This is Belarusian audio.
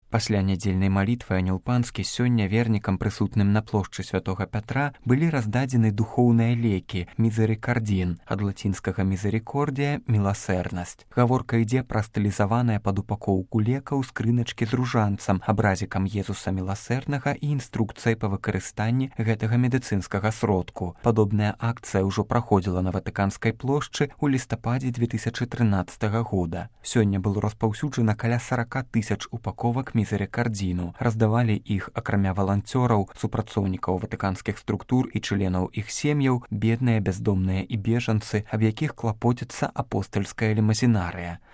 Пасля нядзельнай малітвы анёл панскі сёння вернікам, прысутным на плошчы святога Пятра, былі раздадзены духоўныя лекі мізерикардін, ад лацінскага мізерикордія міласэрнасць. Гаворка ідзе пра стылізаваныя пад упакоўку лекаў скрыначкі з ружанцам, абразікам Езуса міласэрнага і інструкцыяй па выкарыстанні гэтага медыцынскага сродку. Падобная акцыя ўжо праходзіла на Ватыканскай плошчы ў лістападзе 2013 года. Сёння было распаўсюджана каля 40 000 упаковак мізерикардзіну. Раздавалі іх, акрамя валанцёраў, супрацоўнікаў ватыканскіх структур і членаў іх сем'яў, бедныя, бяздомныя і бежанцы, аб якіх клапоціцца апостальская лімазінарыя.